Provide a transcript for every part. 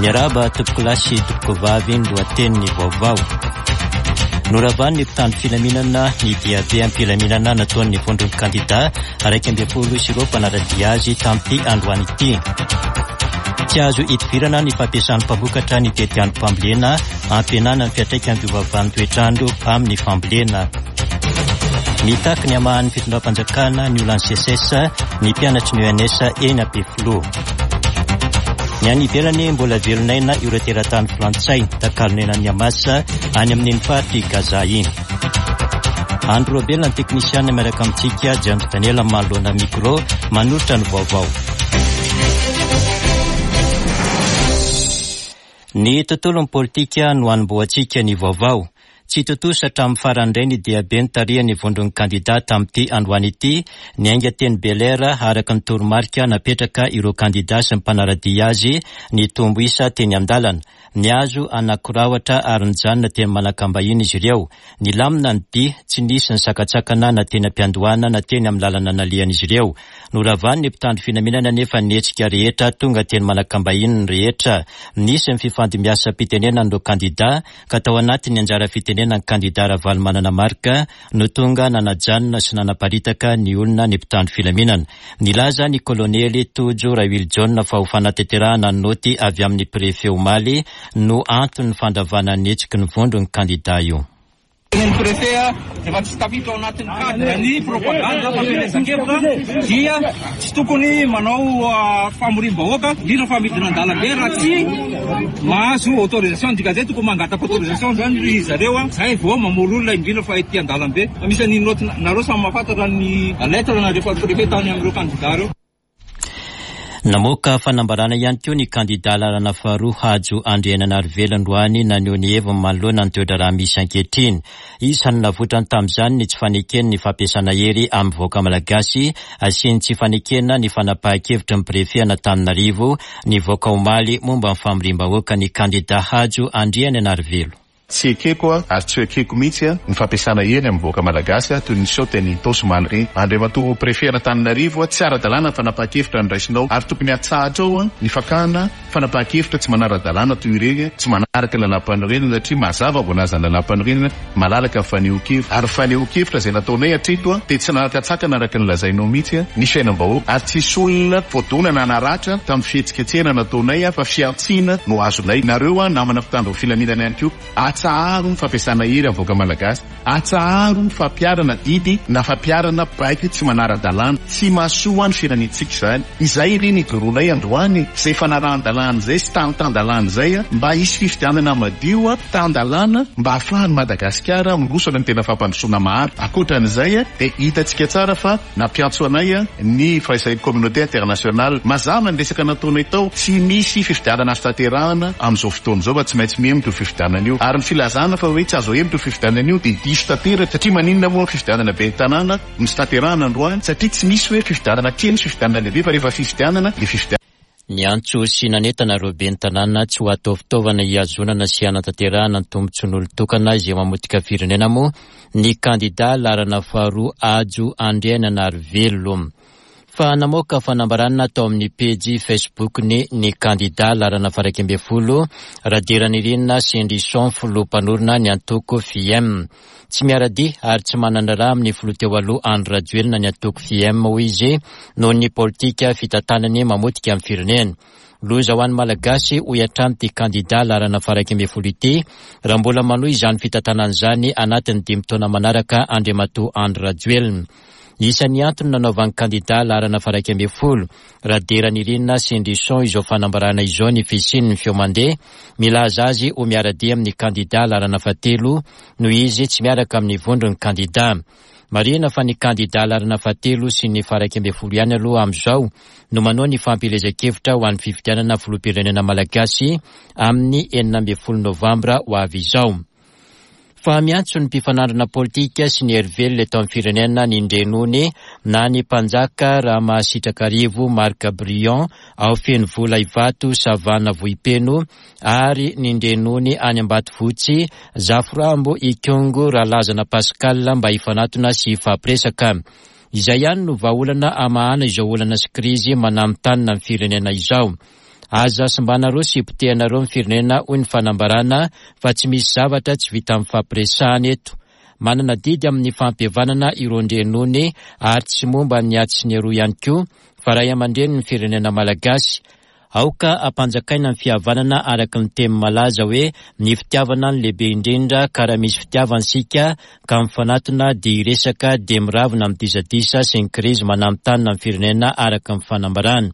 Miarahaba tompokolahy sy tompokovavy ny lohatenin'ny vaovao. Noravan'ny mpitandro filaminana ny diabe am-pilaminana nataon'ny vondron'ny kandida 11 sy ireo mpanara-dia azy tamin'ity androany ity. Tsy azo idivirana ny fampiasan'ny mpamokatra ny tetiandrom-pambolena hampihenana ny fiantraikan'ny fiovaovan'ny toetr'andro amin'ny fambolena. Mitaky ny hamahan'ny fitondram-panjakana ny olan'ny SECES ny mpianatry ny ENS eny Ampefiloha. Ny any ivelany mbola velon'aina ireo teratany frantsay takalon'ainan'ny Hamas any amin'iny faritr'i Gaza iny. Andry Robela ny teknisiana miaraka amintsika, James Daniel manoloana micro manolotra ny vaovao. Ny tontolon'ny politika no hanombohantsika ny vaovao. Tsy tontosa hatramin'ny farany indray ny diabe nitarihan'ny vondron'ny kandida tamin'ity androany ity, niainga teny Bel'Air araka ny toromarika napetraka ireo kandida sy ny mpanara-dia azy nitombo isa teny an-dalana. Nihazo an'Ankorahotra ary nijanona teny Manakambahiny izy ireo. Nilamina ny dia, tsy nisy ny sakantsakana na teny am-piandohana na teny amin'ny lalana nalehan'izy ireo. Noravan'ny mpitandro filaminana anefa ny hetsika rehetra tonga teny Manakambahiny ny rehetra. Nisy ny fifandimbiasam-pitenenan'ireo kandida ka tao anatin'ny anjara fitenenan'ny kandida Ravalomanana Marc no tonga nanajanona sy nanaparitaka ny olona ny mpitandro filaminana. Nilaza ny kolonely Tojo Raoilijaona fa ho fanatanterahana ny naoty avy amin'ny prefe omaly no anton'ny fandravana ny hetsiky ny vondron'ny kandida io. Ny préfet efa tsy tafiditra ao anatin'ny cadre ny propagande fampielezan-kevitra dia tsy tokony manao famoriam-bahoaka, indrindra fa midina an-dalambe raha tsy mahazo autorisation. Dikan'izay tokony mangataka autorisation zany ry zareo zay vao mamory olona indrindra fa ety an-dalambe. Fa misy an'iny note, nareo samy mahafantatra ny lettre nalefan'ny préfet tany amin'ireo candidats ireo. Namoaka fanambarana ihany koa ny kandidà laharana faharoa Hajo Andrianainarivelo androany naneho ny heviny manoloana ny toe-draharaha misy ankehitriny. Isan'ny navoitrany tamin'izany ny tsy fanekeny ny fampiasana hery amin'ny vahoaka malagasy sy ny tsy fanekena ny fanapahan-kevitry ny Prefe an'Antananarivo nivoaka omaly momba ny famoriam-bahoaka ny kandidà Hajo Andrianainarivelo. Tsy ekeko ary tsy ho ekeko mihitsy ny fampiasana hery amin'ny vahoaka malagasy toy ny niseho teny Itaosy omaly ireny. Andriamatoa Préfet an'Antananarivo, tsy ara-dalàna ny fanapahan-kevitra noraisinao ary tokony hatsahatrao ny fakana fanapahan-kevitra tsy manara-dalàna toy ireny, tsy manaraka ny lalàmpanorenana satria mazava voalazan'ny lalàmpanorenana, malalaka ny fanehoan-kevitra ary ny fanehoan-kevitra izay nataonay hatreto dia tsy nanan-katsakana araka ny lazainao mihitsy ny fiainam-bahoaka ary tsisy olona voadona na naratra tamin'ny fihetsiketsehana nataonay fa fihantsiana no azonay. Nareo namana mpitandro ny filaminana ihany koa, atsaharo ny fampiasana hery amin'ny vahoaka malagasy, atsaharo ny fampiharana didy na fampiharana baiko tsy manara-dalàna. Tsy mahasoa ny firenentsika izany. Izay re ny ijoroanay androany, izay fanarahan-dalàna izay sy tany tan-dalàna izay mba hisy fifidianana madio tan-dalàna mba hahafahan'i Madagasikara miroso any amin'ny tena fampandrosoana maharitra. Ankoatra an'izay dia hitantsika tsara fa nampiantso anay ny firaisan'ny communauté internationale. Mazava ny resaka nataonay tao, tsy misy fifidianana azo tanterahana amin'izao fotoana izao fa tsy maintsy mihemotra io fifidianana io. Ary ny filazana fa hoe tsy azo ahemotra io fifidianana io dia diso tanteraka satria maninona moa fifidianana ben'ny tanàna no tsy tanterahana androany satria tsy misy hoe fifidianana kely sy fifidianana lehibe fa rehefa fifidianana dia fifidianana. Niantso sy nanentana ireo ben'ny tanàna tsy ho atao fitaovana hihazonana sy hanatanterahana ny tombontsoan'olon-tokana izay mamotika firenena moa ny kandidà laharana faharoa Hajo Andriananarivelo. Fa namoaka fanambarana tao amin'ny pejy Facebook-ny ny kandidà laharana faha-11 Radiranirina Sendrison filoha mpanorina ny antoko FIEM. Tsy miara-dia ary tsy manana raha amin'ny filoha teo aloha Andry Rajoelina ny antoko FIEM, hoy izy, noho ny politika fitantanany mamotika ny firenena. Loza ho an'ny Malagasy, hoy hatrany ity kandidà laharana faha-11 ity, raha mbola manohy izany fitantanana izany anatin'ny dimy taona manaraka Andriamatoa Andry Rajoelina. Isan'ny antony nanaovan'ny kandidà laharana faha-11, Raderanirina Sendrison izao fanambarana izao ny fisian'ny feo mandeha milaza azy ho miara-dia amin'ny kandidà laharana fahatelo noho izy tsy miaraka amin'ny vondron'ny kandidà. Marihina fa ny kandidà laharana fahatelo sy ny faha-11 ihany aloha amin'izao no manao ny fampielezan-kevitra ho an'ny fifidianana filoham-pirenena malagasy amin'ny 16 novambra ho avy izao. Fa miantso ny mpifanandrina politika sy ny hery velona eto amin'ny firenena ny Ndrenony na ny Mpanjaka Ramahasitrakarivo Marc Briand ao Fenovola Ivato Savana Vohipeno ary ny Ndrenony any Ambatofotsy Zafirambo Ikongo Ralazana Pascal mba hifanatona sy hifampiresaka. Izay ihany no vahaolana hamahana izao olana sy krizy mananontanona ny firenena izao. Aza simbanareo sy potehanareo ny firenena hoy ny fanambarana fa tsy misy zavatra tsy vita mifampiresahana eto. Manana adidy amin'ny fampihavanana ireo ndrenony ary tsy momba ny atsy sy ny aroa ihany koa fa ray aman-drenin'ny firenena malagasy. Aoka hampanjakaina ny fihavanana araka ny teny malaza hoe ny fitiavana no lehibe indrindra ka raha misy fitiavana isika ka mifanatona dia hiresaka dia miravona ny disadisa sy ny krizy mananontanona ny firenena araka ny fanambarana.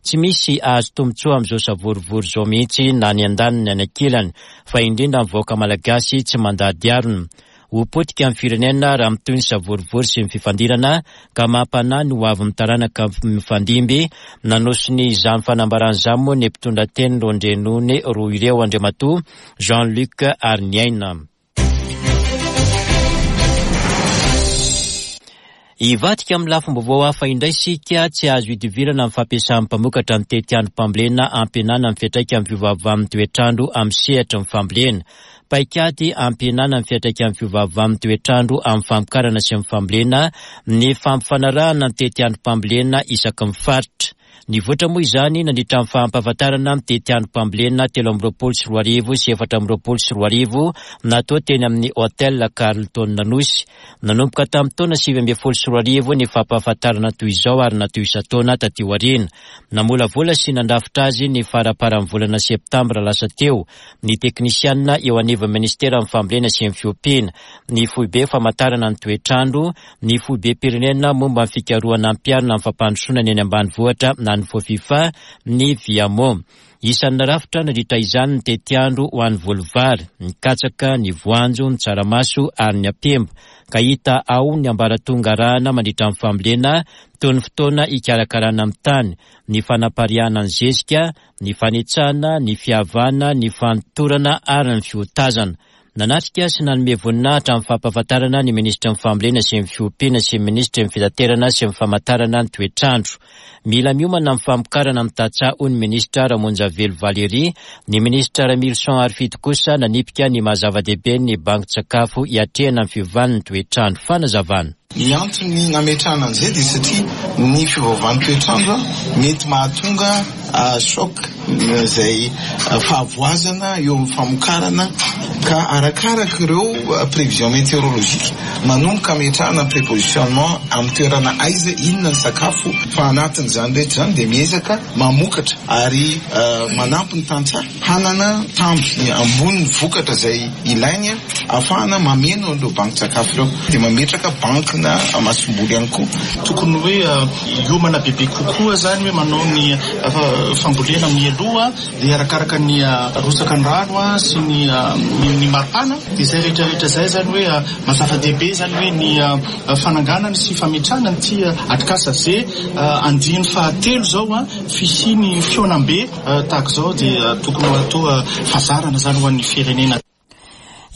Tsy misy ahazo tombontsoa amin'izao savorovoro izao mihitsy na ny andaniny na ny ankilany fa indrindra ny vahoaka malagasy tsy mandady harona. Ho potika ny firenena raha mitohy ny savorovoro sy ny fifandirana ka mampanahy ny ho avin'ny taranaka mifandimby. Nanosony izany fanambarana izany moa ny mpitondra teny Rondrenony roa ireo Andriamatoa Jean Luc Hariniaina. Hivadika amin'ny lafim-baovao hafa indray isika, tsy azo idivirana ny fampiasan'ny mpamokatra ny tetiandrom-pambolena hampihenana ny fiantraikan'ny fiovaovan'ny toetr'andro amin'ny sehatry ny fambolena. Paikady hampihenana ny fiantraikan'ny fiovaovan'ny toetr'andro amin'ny famokarana sy ny fambolena ny fampifanarahana ny tetiandrom-pambolena isaky ny faritra. Nivoatra moa izany nandritra ny fampahafantarana ny tetiandrom-pambolena 2023 sy 2024 natao teny amin'ny Hotel Carlton Anosy. Nanomboka tamin'ny taona 2019 ny fampahafantarana toy izao ary natao isan-taona taty aoriana. Namolavola sy nandrafitra azy ny faramparan'ny volana septambra lasa teo ny teknisianina eo anivon'ny Ministeran'ny Fambolena sy ny Fiompiana, ny Foibe Famantarana ny Toetr'andro, ny Foibem-pirenena momba ny fikarohana ampiharina amin'ny fampandrosoana ny eny ambanivohitra na ny Fofifa, ny Viamo. Isan'ny narafitra nandritra izany ny tetiandro ho an'ny voly vary, ny katsaka, ny voanjo, ny tsaramaso ary ny ampemba, ka hita ao ny ambaratonga arahana mandritra ny fambolena toy ny fotoana hikarakarana ny tany, ny fanapariahana ny zezika, ny fanetsana, ny fiavana, ny fanotorana ary ny fiotazana. Nanatrika sy nanome voninahitra amin'ny fampahafantarana ny Minisitry ny Fambolena sy ny Fiompiana sy ny Minisitry ny Fitaterana sy ny Famantarana ny Toetr'andro. Mila miomana amin'ny famokarana ny tantsaha hoy ny Minisitra Ramonjavelo Valérie. Ny Minisitra Ramilison Harifidy kosa nanipika ny maha zava-dehibe ny bankin-tsakafo hiatrehana ny fiovan'ny toetr'andro. Fanazavana. Ny antony nametrahana an'izay dia satria ny fiovaovan'ny toetr'andro mety mahatonga choc izay fahavoazana eo amin'ny famokarana ka arakaraka ireo prévision météorologique manomboka ametrahana ny prépositionnement amin'ny toerana aiza, inona ny sakafo fa anatin'izany rehetra izany dia miezaka mamokatra ary manampy ny tantsaha hanana tambiny ambonin'ny vokatra izay ilainy. Ahafahana mameno an'ireo bankin-tsakafo ireo dia mametraka bankina masomboly ihany koa. Tokony hoe hiomana bebe kokoa izany hoe manao ny fambolena mialoha dia arakaraka ny rotsaka ny rano sy ny ny maripana dia izay rehetra rehetra izay izany hoe maha zava-dehibe izany hoe ny fananganana sy fametrahana an'ity atrikasa ze andiany fahatelo izao fisian'ny fihaonambe tahaka izao dia tokony ho atao fazarana izany ho an'ny firenena.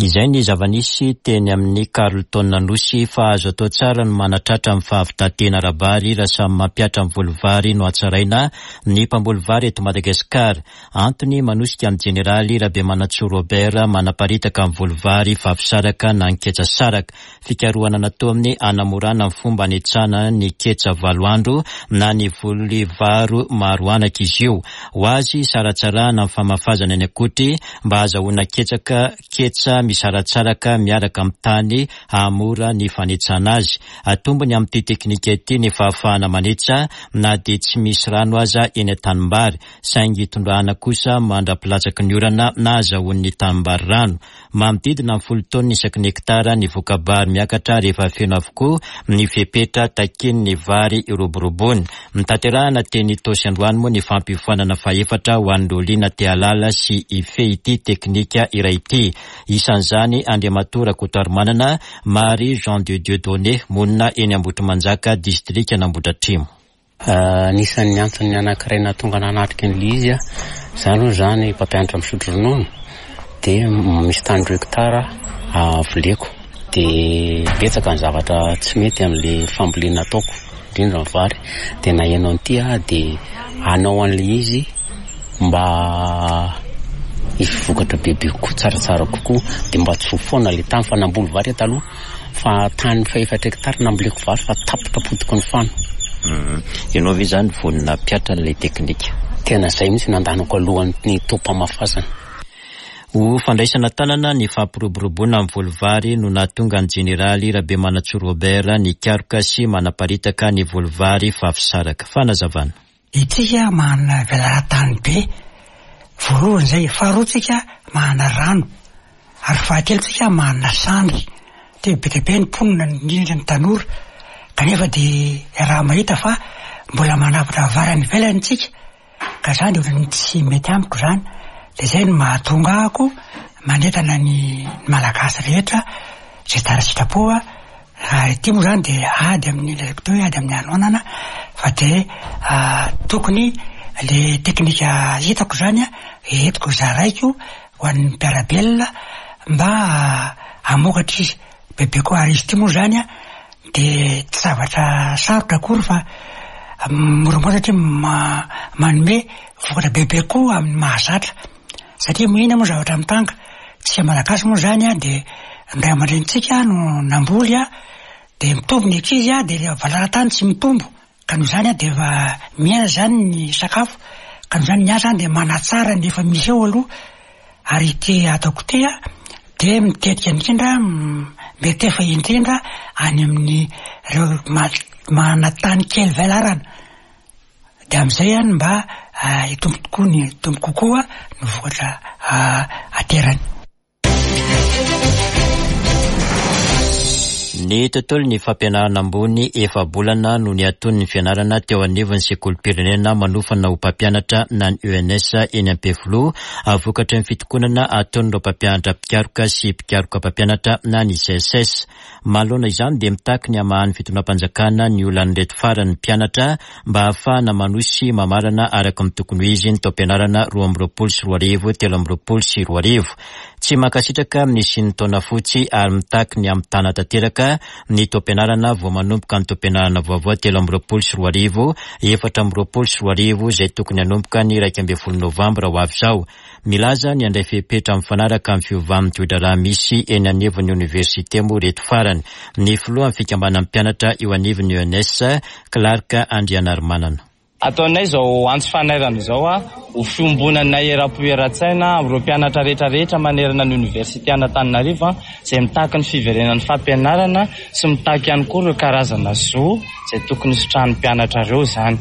Izay ny zava-nisy teny amin'ny Carlton Anosy fa azo atao tsara ny manatratra ny fahavitan-tena ara-bary raha samy mampihatra ny voly vary no hatsaraina ny mpamboly vary eto Madagasikara. Antony manosika ny jeneraly Rabemanantsoa Robert manaparitaka ny voly vary vavy-saraka na ny ketsa saraka. Fikarohana nataony hanamorana ny fomba hanetsana ny ketsa valo andro na ny voly varo maro anaka izy io. Ho azy, saratsarahana ny famafazana ny akotry mba hahazahoana ketsaka ketsa misaratsaraka miaraka amin'ny tany hahamora ny fanetsana azy. Atombony amin'ity teknika ity ny fahafahana manetsa na dia tsy misy rano aza eny an-tanimbary, saingy tondrahana kosa mandra-pilatsaky ny orana na azahoan'ny tanimbary rano. Manodidina ny folo taonina isaky ny hektara ny voka-bary miakatra rehefa feno avokoa ny fepetra takian'ny vary hiroboroboana. Notanterahina teny Itaosy androany moa ny fampiofanana fahefatra ho an'ireo liana te hahalala sy hifehy ity teknika iray ity. Isan'izany Andriamatoa Rakotoarimanana Marie Jean de Dieu Donné, monina eny Ambohitrimanjaka, distrikan'Ambohidratrimo. Anisan'ny antony anankiray nahatonga ahy nanatrika an'ilay izy, izaho aloha izany mpampianatra misotro ronono dia misy tany roa hectare voleko dia betsaka ny zavatra tsy mety amin'ilay fambolena ataoko, indrindra ny vary, dia naheno an'ity aho dia hanao an'ilay izy mba hisy vokatra bebe kokoa, tsaratsara kokoa dia mba tsy ho foana ilay tany fa namboly vary aho taloha. Fa tany fahefatra hectare namboleko vary fa tapitra potiky ny fano. Ianao ve izany vonona hampiatra an'ilay teknika? Tena izay mihitsy no andanako alohan'ny taom-pamafazana. Ho fandraisana an-tanana ny fampiroboroboana ny voly vary no nahatonga ny Jeneraly Rabemanantsoa Robert nikaroka sy manaparitaka ny voly vary Fafisaraka. Fanazavana. Itsika manana velaran-tany be, voalohany izay, faharoa tsika manana rano, ary fahatelo tsika manana sandry, dia be dia be ny mponina indrindra ny tanora, kanefa dia iaraha-mahita fa mbola manavotra vary any ivelany tsika, Ka zany de ohatran'ny tsy mety amiko zany, de zay no mahatonga ahako manentana ny Malagasy rehetra zay tsara sitrapo a, raha ity moa zany de ady amin'ny lazaiko teo hoe ady amin'ny hanoanana fa de tokony le teknika hitako zany a entiko zaraiko ho an'ny mpiara-belona mba hamokatra izy bebe koa, ary izy ity moa zany a Dia tsy zavatra sarotra akory fa moramora satria manome vokatra bebe koa amin'ny mahazatra. Satria inona moa zavatra mitranga? Tsika Malagasy moa izany an, dia ny ray aman-drenintsika no namboly an, dia mitombo ny ankizy an, dia ilay valala-tany tsy mitombo. Ka noho izany an, dia efa mihena izany ny sakafo, ka noho izany ny ahy izany dia manatsara ny efa misy eo aloha. Ary ity ataoko ity an, dia mitetika indrindra, mety efa indrindra any amin'ny ireo manana tany kely velarana. Dia amin'izay an mba hitombo tokoa ny, hitombo kokoa ny vokatra aterany. Ny tontolon'ny fampianarana ambony efa-bolana no niatoan'ny fianarana teo anivon'ny sekolim-pirenena manofana ho mpampianatra na ny ENS eny Ampefiloha vokatry ny fitokonana ataon'ireo mpampianatra mpikaroka sy mpikaroka mpampianatra na ny SECES. Manoloana izany dia mitaky ny hamahan'ny fitondram-panjakana ny olan'ireto farany ny mpianatra mba hahafahana manohy sy mamarana araka ny tokony ho izy ny taom-pianarana 2022 2023. Tsy mankasitraka ny hisian'ny taona fotsy ary mitaky ny hamitana tanteraka ny taom-pianarana vao manomboka ny taom-pianarana vaovao 2023 2024 izay tokony hanomboka ny 11 novambra ho avy izao. Milaza ny handray fepetra mifanaraka amin'ny fiovan'ny toe-draharaha misy eny anivon'ny oniversite moa ireto farany. Ny filohan'ny fikambanan'ny mpianatra eo anivon'ny ENS, Clark Andrianarimanana. Ataonay izao antso fanairana izao ho fiombonanay eram-po eran-tsaina amin'ireo mpianatra rehetra rehetra manerana ny oniversite an'Antananarivo izay mitaky ny fiverenan'ny fampianarana sy mitaky ihany koa ireo karazana zo izay tokony hositrahan'ny mpianatra ireo izany.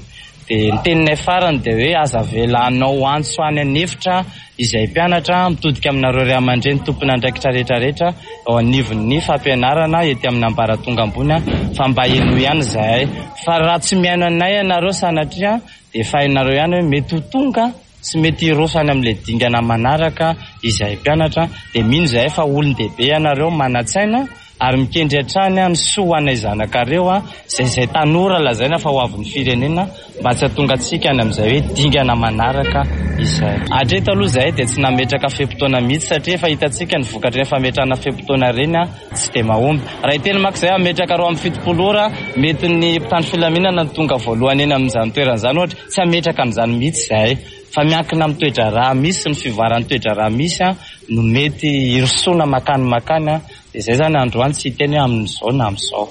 Dia ny teninay farany dia hoe aza avela hanao antso any an'efitra izay mpianatra, mitodika aminareo ray aman-dreny tompon'andraikitra rehetra rehetra eo anivon'ny fampianarana ety amin'ny ambaratonga ambony fa mba henoy ihany izahay fa raha tsy mihaino anay ianareo sanatria dia efa hainareo ihany hoe mety ho tonga sy mety hiroso any amin'ilay dingana manaraka izahay mpianatra dia mino izahay fa olon-dehibe ianareo manan-tsaina ary mikendry hatrany ny soa ho anay zanakareo izay izay tanora lazaina fa ho avin'ny firenena mba tsy hahatonga antsika any amin'izay hoe dingana manaraka izay. Hatreto aloha izahay dia tsy nametraka fe-potoana mihitsy satria efa hitantsika ny vokatr'ireny fametrahana fe-potoana ireny tsy dia mahomby. Raha hiteny manko izahay hametraka 72 ora mety ny mpitandro filaminana no tonga voalohany eny amin'izany toerana izany ohatra, tsy hametraka an'izany mihitsy izahay fa miankina amin'ny toe-draharaha misy sy ny fivoaran'ny toe-draharaha misy no mety hirosoana makany makany. Dia izay izany androany tsy hiteny hoe amin'izao na amin'izao.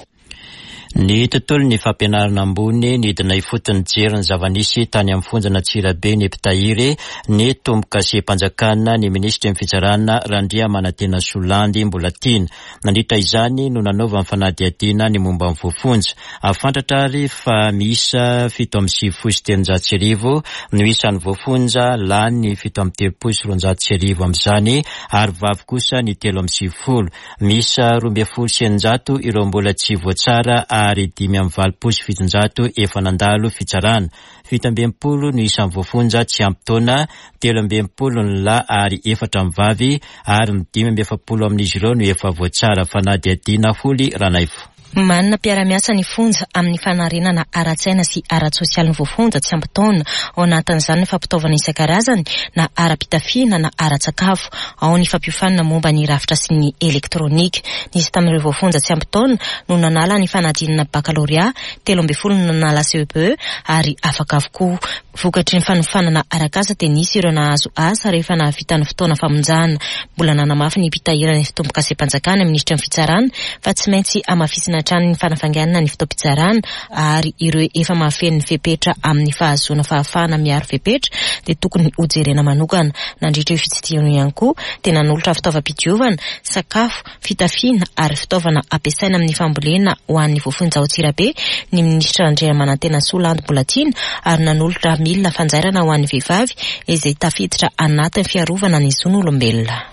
Ny tontolon'ny fampianarana ambony, nidina ifotony nijery ny zava-nisy tany amin'ny fonjan'Antsirabe ny mpitahiry ny tombokasem-panjakana ny minisitry ny fitsarana Randriamanantenasoa Landy Mbolatiana. Nandritra izany no nanaovany fanadihadiana ny momba ny voafonja. Fantatra ary fa miisa 1397 no isan'ny voafonja, lahy ny 1237 amin'izany ary vavy kosa ny 93. Miisa 612 ireo mbola tsy voatsara ary 785 efa nandalo fitsarana. 67 no isan'ny voafonja tsy ampy taona, 63 ny lahy ary efatra ny vavy, ary ny 45 amin'izy ireo no efa voatsara fanadihadiana Holy Ranaivo. Manana mpiara-miasa ny fonja amin'ny fanarenana ara-tsaina sy ara-tsosialy ny voafonja tsy ampy taona. Ao anatin'izany ny fampitaovana isan-karazany na ara-pitafiana na ara-tsakafo. Ao ny fampiofanana momba ny rafitra sy ny elektronika. Nisy tamin'ireo voafonja tsy ampy taona no nanala ny fanadinana bakalorea, 13 no nanala CEPE ary afaka avokoa. Vokatry ny fanofanana arak'asa dia nisy ireo nahazo asa rehefa nahavita ny fotoana famonjana. Mbola nanamafy ny mpitahiry ny fitombokasem-panjakana, minisitry ny fitsarana, fa tsy maintsy hamafisina. Takiana hatrany ny fanafainganana ny fotoam-pitsarana ary ireo efa mahafeno ny fepetra amin'ny fahazoana fahafahana miaro fepetra dia tokony hojerena manokana. Nandritra io fitsidihana io ihany koa dia nanolotra fitaovam-pidiovana, sakafo, fitafiana ary fitaovana ampiasaina amin'ny fambolena ho an'ny voafonja ao Antsirabe ny minisitra Randriamanantenasoa Landy Mbolatiana ary nanolotra milina fanjairana ho an'ny vehivavy izay tafiditra anatin'ny fiarovana ny zon'olombelona.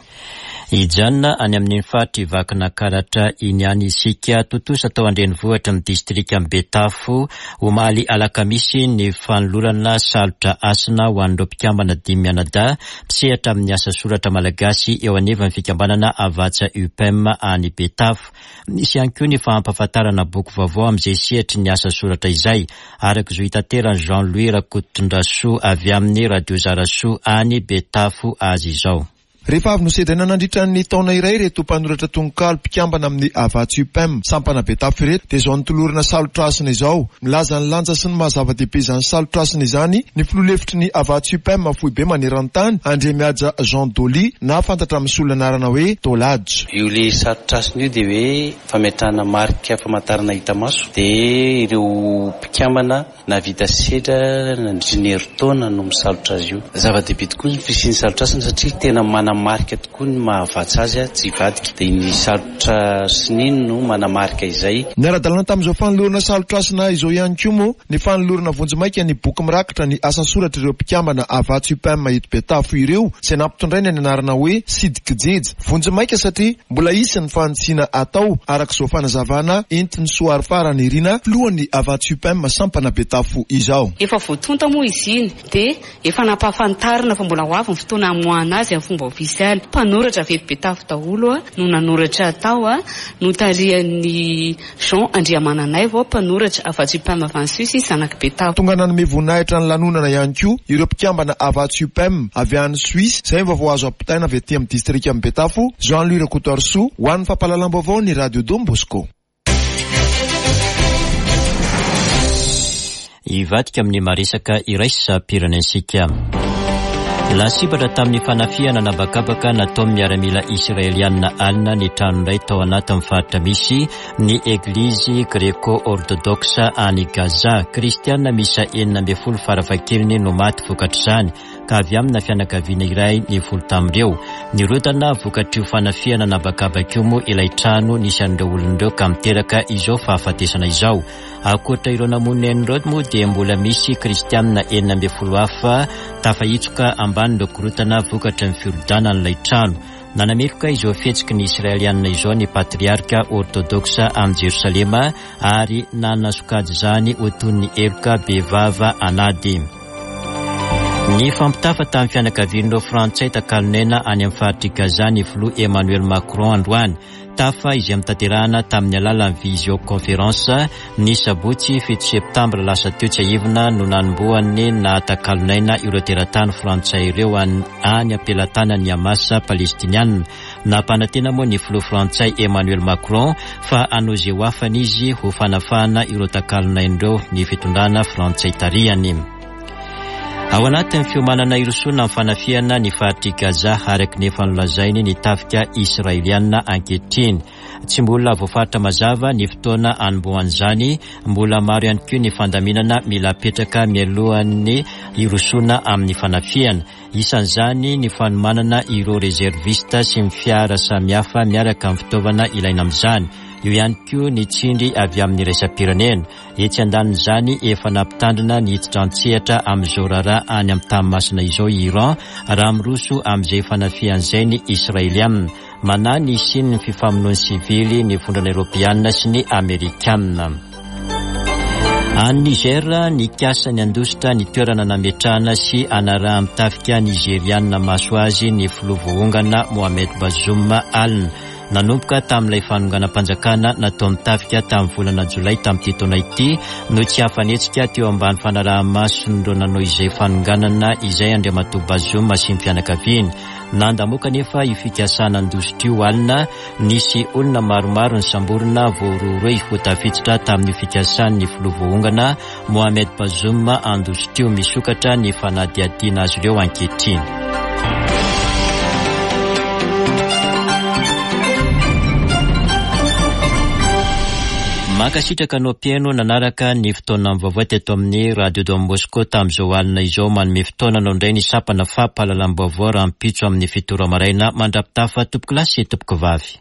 Hijanona any amin'iny faritr'i Vakinakaratra iny ihany isika. Tontosa tao an-drenivohitry ny distrikan'i Betafo, omaly alakamisy, ny fanolorana salotra hasina ho an'ireo mpikambana dimy mianadahy mpisehatra amin'ny asa soratra malagasy eo anivon'ny fikambanana Havatsa UPEM any Betafo. Nisy ihany koa ny fampahafantarana boky vaovao amin'izay sehatry ny asa soratra izay, araka izao itateran'i Jean Louis Rakotondrasoa avy amin'ny Radio Zarasoa any Betafo azy izao. Rehefa avy nosedraina nandritra ny taona iray ireto mpanoratra tononkalo mpikambana amin'ny Havatsa Upem sampana Betafo ireto dia izao notolorana salotra hasina izao. Milaza ny lanja sy ny maha zava-dehibe izany salotra hasina izany ny filoha lefitry ny Havatsa Upem foibe maneran-tany Andriamihaja Jean Dolly na fantatra amin'ny solon'anarana hoe Dol'Haja. Io le salotra hasina io dia hoe fametrahana marika famantarana hita maso dia ireo mpikambana Nahavita sedra nandritry ny herintaona no misalotra azy io. Zava-dehibe tokoa ny fisian'ny salotra hasina satria tena manamarika tokoa ny mahavatsa azy tsy hivadika. Dia ny salotra sininy no manamarika izay. Niara-dalana tamin'izao fanolorana salotra hasina izao ihany koa moa ny fanolorana vonjimaika ny boky mirakitra ny asa soratr'ireo mpikambana Havatsa Upem eto Betafo ireo izay nampitondraina ny anarana hoe Sidikijeja. Vonjimaika satria mbola hisy ny fanitsiana atao, araka izao fanazavana entin'i Soarifara Nirina, filohan'ny Havatsa Upem sampana Betafo izao. Efa voatonta moa izy iny dia efa nampahafantarina fa mbola ho avy ny fotoana hamoahana azy amin'ny fomba ofisialy. Mpanoratra avy eto Betafo daholo no nanoratra tao, notarihan'i Jean Andriamananaivo, mpanoratra Havatsa Upem avy any Suisse, zanak'i Betafo. Tonga nanome voninahitra ny lanonana ihany koa ireo mpikambana Havatsa Upem avy any Suisse, izay ny vaovao azo ampitaina avy aty amin'ny distrikan'i Betafo, Jean Louis Rakotoarisoa, ho an'ny fampahalalam-baovao ny Radio Don Bosco. Hivadika amin'ny maresaka iraisam-pirenensika. Lasibatra tamin'ny fanafihana an'habakabaka nataon'ny miaramila Israelianina alina ny trano iray tao anatin'ny faritra misy ny Eglizy Greko-Ortodoksa any Gaza. Kristiana miisa 16 farafahakeliny no maty vokatr'izany, ka avy amina fianakaviana iray ny folo tamin'ireo. Nirodana vokatr'io fanafihana an'habakabaka io moa ilay trano nisy an'ireo olona ireo ka miteraka izao fahafatesana izao. Ankoatra ireo namono ny ainy ireo moa dia mbola misy kristianina 16 hafa tafahitsoka ambanin'ireo korontana vokatry ny firodanan'ilay trano. Nanameloka izao fihetsiky ny Israelianina izao ny patriarka ortodoksa any Jerosalema ary nanasokajy izany ho toy ny heloka bevava an'ady. Nifampitafa tamin'ny fianakavian'ireo Frantsay takalon'aina any amin'ny faritr'i Gaza ny filoha Emmanuel Macron androany. Tafa izay notanterahana tamin'ny alalan'ny visioconférence ny sabotsy fito septambra lasa teo tsiahivina no nanombohan'ny nahatakalon'aina ireo teratany frantsay ireo any am-pelatanan'ny Hamas palestiniana. Nampanantena moa ny filoha frantsay Emmanuel Macron fa hanao izay ho afany izy ho fanafahana ireo takalon'aina ireo ny fitondrana frantsay tarihany. Ao anatin'ny fiomanana hirosoana amin'ny fanafihana ny faritr'i Gaza araka ny efa nolazainy ny tafika Israeliana ankehitriny. Tsy mbola voafaritra mazava ny fotoana hanombohan'izany, mbola maro ihany koa ny fandaminana mila apetraka mialohan'ny hirosoana amin'ny fanafihana. Isan'izany ny fanomanana ireo rezervista sy ny fiara samihafa miaraka amin'ny fitaovana ilaina amin'izany. Eo ihany koa ny tsindry avy amin'ny iraisam-pirenena. Etsy andanin'izany, efa nampitandrina ny hiditra an-tsehatra amin'izao raharaha any amin'ny tany masina izao i Iran raha miroso amin'izay fanafihana izay ny Israeliana. Manahy ny hisian'ny fifamonoan'ny sivily ny Vondrona Eoropeana sy ny Amerikana. Any Niger, nikasa ny handositra ny toerana nametrahana sy hanarahan'ny tafika Nizeriana maso azy ny filoha voaongana Mohamed Bazoum alina. Nanomboka tamin'ilay fanonganam-panjakana nataon'ny tafika tamin'ny volana jolay tamin'ity taona ity no tsy afa-nihetsika teo ambany fanaraha-mason'ireo nanao izay fanonganana izay Andriamatoa Bazoum sy ny fianakaviany. Nandamoaka anefa io fikasana handositra io alina, nisy olona maromaro nisamborina voarohirohy ho tafiditra tamin'io fikasan'ny filoha voaongana Mohamed Bazoum handositra io. Misokatra ny fanadihadiana azy ireo ankehitriny. Mankasitraka anao mpihaino nanaraka ny fotoana vaovao teto amin'ny Radio Don Bosco tamin'izao alina izao. Manome fotoana anao indray ny sampana fampahalalam-baovao rahampitso amin'ny fito ora maraina. Mandra-pitafa tompokolahy sy tompokovavy.